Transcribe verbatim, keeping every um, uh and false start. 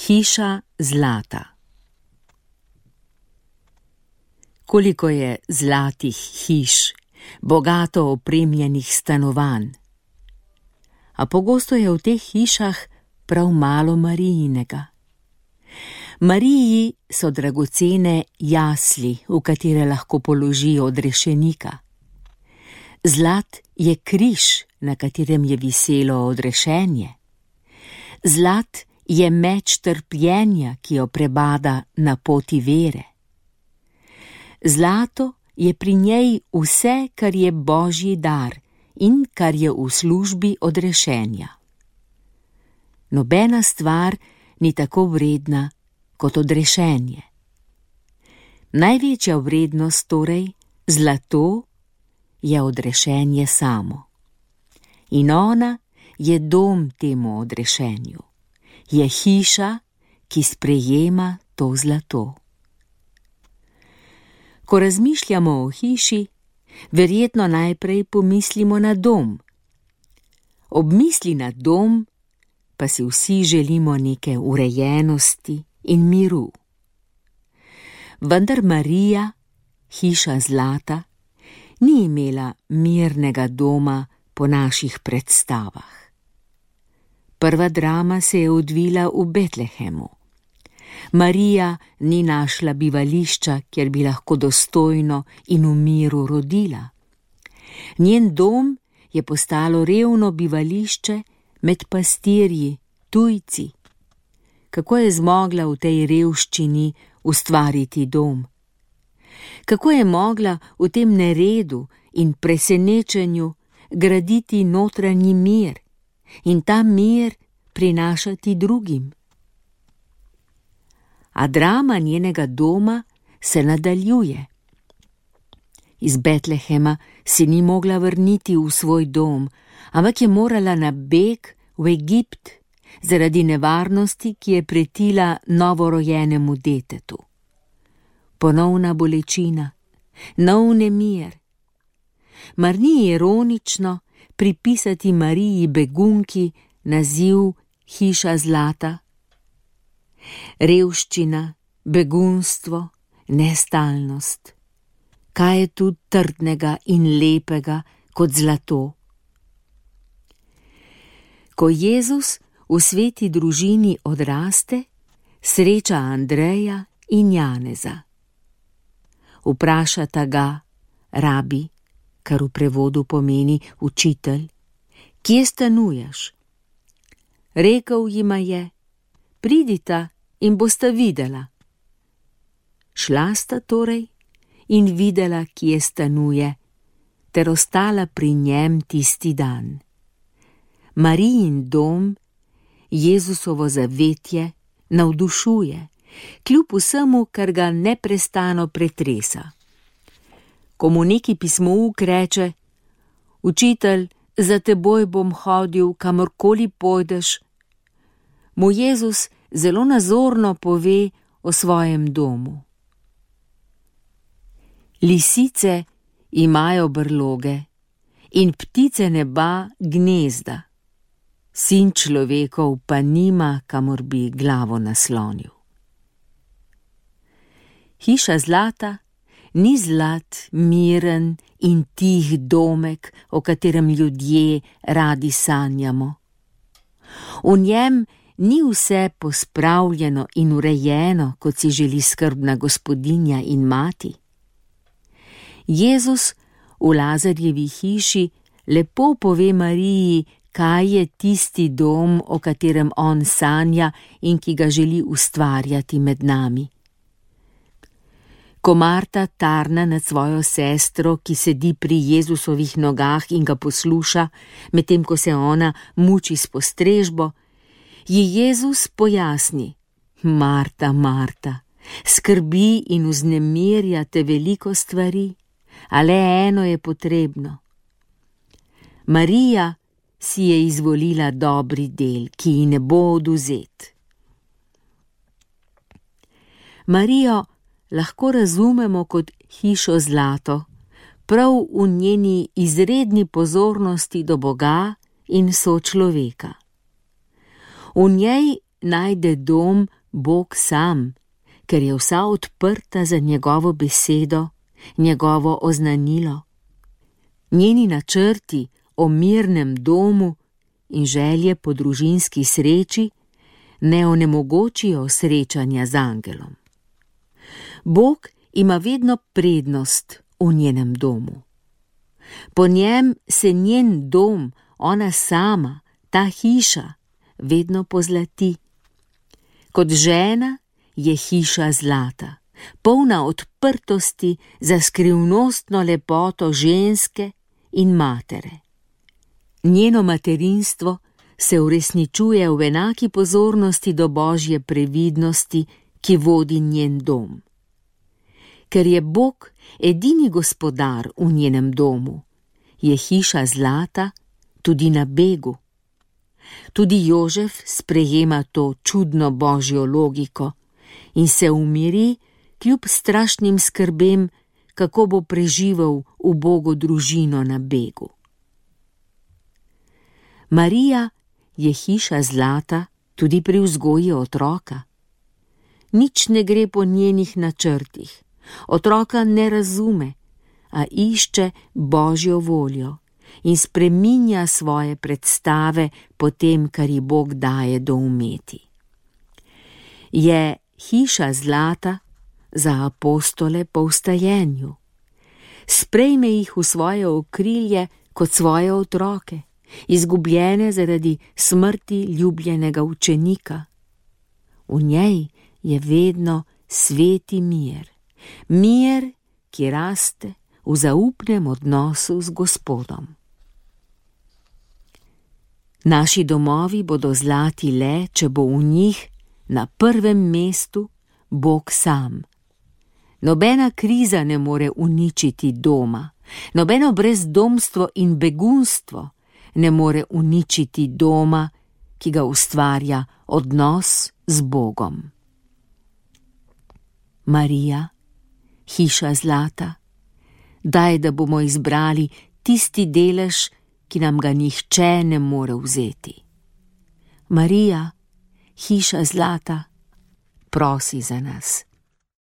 Hiša zlata. Koliko je zlatih hiš, bogato opremljenih stanovanj. A pogosto je v teh hišah prav malo Marijinega. Mariji so dragocene jasli, v katere lahko položi odrešenika. Zlat je križ, na katerem je viselo odrešenje. Zlat je meč trpljenja, ki jo prebada na poti vere. Zlato je pri njej vse, kar je Božji dar in kar je v službi odrešenja. Nobena stvar ni tako vredna kot odrešenje. Največja vrednost torej, zlato, je odrešenje samo. In ona je dom temu odrešenju. Je hiša, ki sprejema to zlato. Ko razmišljamo o hiši, verjetno najprej pomislimo na dom. Ob misli na dom pa si vsi želimo neke urejenosti in miru. Vendar Marija, hiša zlata, ni imela mirnega doma po naših predstavah. Prva drama se je odvila v Betlehemu. Marija ni našla bivališča, kjer bi lahko dostojno in v miru rodila. Njen dom je postalo revno bivališče med pastirji, tujci. Kako je zmogla v tej revščini ustvariti dom? Kako je mogla v tem neredu in presenečenju graditi notranji mir in ta mir prinašati drugim? A drama njenega doma se nadaljuje. Iz Betlehema se ni mogla vrniti v svoj dom, ampak je morala na beg v Egipt zaradi nevarnosti, ki je pretila novorojenemu detetu. Ponovna bolečina, nov nemir. Mar ni ironično pripisati Mariji begunki naziv hiša zlata? Revščina, begunstvo, nestalnost. Kaj je tu trdnega in lepega kot zlato? Ko Jezus v sveti družini odraste, sreča Andreja in Janeza. Vprašata ga, rabi, kar v prevodu pomeni učitelj, kje stanuješ? Rekel jima je, pridita in bosta videla. Šla sta torej in videla, kje stanuje, ter ostala pri njem tisti dan. Marijin dom, Jezusovo zavetje, navdušuje, kljub vsemu, kar ga neprestano pretresa. Ko mu neki pismouk reče, učitelj, za teboj bom hodil, kamorkoli pojdeš, mu Jezus zelo nazorno pove o svojem domu. Lisice imajo brloge in ptice neba gnezda, sin človekov pa nima, kamor bi glavo naslonil. Hiša zlata ni zlat, miren in tih domek, o katerem ljudje radi sanjamo. V njem ni vse pospravljeno in urejeno, kot si želi skrbna gospodinja in mati. Jezus v Lazarjevi hiši lepo pove Mariji, kaj je tisti dom, o katerem on sanja in ki ga želi ustvarjati med nami. Ko Marta tarna nad svojo sestro, ki sedi pri Jezusovih nogah in ga posluša, medtem ko se ona muči s postrežbo, ji Jezus pojasni, Marta, Marta, skrbi in vznemirja te veliko stvari, a le eno je potrebno. Marija si je izvolila dobri del, ki ji ne bo odvzet. Marijo lahko razumemo kot hišo zlato, prav v njeni izredni pozornosti do Boga in sočloveka. V njej najde dom Bog sam, ker je vsa odprta za njegovo besedo, njegovo oznanilo. Njeni načrti o mirnem domu in želje po družinski sreči ne onemogočijo srečanja z angelom. Bog ima vedno prednost v njenem domu. Po njem se njen dom, ona sama, ta hiša, vedno pozlati. Kot žena je hiša zlata, polna odprtosti za skrivnostno lepoto ženske in matere. Njeno materinstvo se uresničuje v enaki pozornosti do Božje previdnosti, ki vodi njen dom. Ker je Bog edini gospodar v njenem domu, je hiša zlata tudi na begu. Tudi Jožef sprejema to čudno božjo logiko in se umiri kljub strašnim skrbem, kako bo preživel ubogo družino na begu. Marija je hiša zlata tudi pri vzgoji otroka. Nič ne gre po njenih načrtih. Otroka ne razume, a išče Božjo voljo in spreminja svoje predstave po tem, kar ji Bog daje doumeti. Je hiša zlata za apostole po vstajenju. Sprejme jih v svoje okrilje kot svoje otroke, izgubljene zaradi smrti ljubljenega učenika. V njej je vedno sveti mir, mir, ki raste v zaupnem odnosu z Gospodom. Naši domovi bodo zlati le, če bo v njih na prvem mestu Bog sam. Nobena kriza ne more uničiti doma, nobeno brezdomstvo in begunstvo ne more uničiti doma, ki ga ustvarja odnos z Bogom. Marija, hiša zlata, daj, da bomo izbrali tisti delež, ki nam ga nihče ne more vzeti. Marija, hiša zlata, prosi za nas.